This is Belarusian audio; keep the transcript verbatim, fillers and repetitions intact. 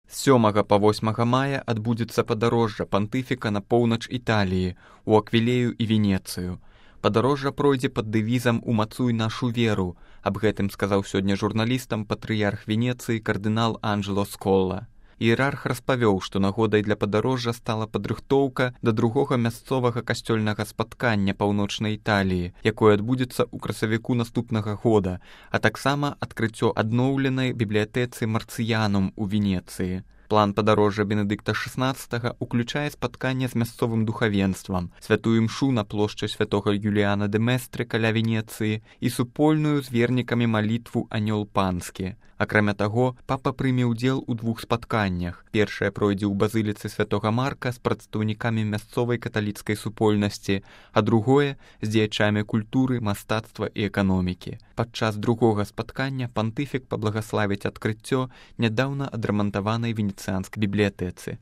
З сёмага па восьмага мая адбудзецца падарожжа пантыфіка на поўнач Італіі, у Аквілею і Венецыю. Падарожжа пройдзе пад дэвізам «Умацуй нашу веру». Аб гэтым сказаў сёння журналістам патрыярх Венецыі кардынал Анджело Сколла. Іерарх распавёў, што нагодай для падарожжа стала падрыхтоўка да другога мясцовага касцёльнага спаткання паўночнай Італіі, якое адбудзецца ў красавіку наступнага года, а таксама адкрыццё адноўленай бібліятэцы Марцыянум у Венецыі. План падарожжа Бенедыкта шаснаццатага уключае спатканне з мясцовым духавенствам, святую імшу на плошчы святога Юліяна де Местры каля Венецыі і супольную з вернікамі малітву «Анёл панскі». Акрамя таго, папа прыме ўдзел у двух спатканнях. Першае пройдзе ў базыліцы святога Марка з прадстаўнікамі мясцовай каталіцкай супольнасці, а другое з дзеячамі культуры, мастацтва і эканомікі. Падчас другога спаткання пантыфік паблагаславіць адкрыццё нядаўна адрамантаванай венецыянскай бібліятэцы.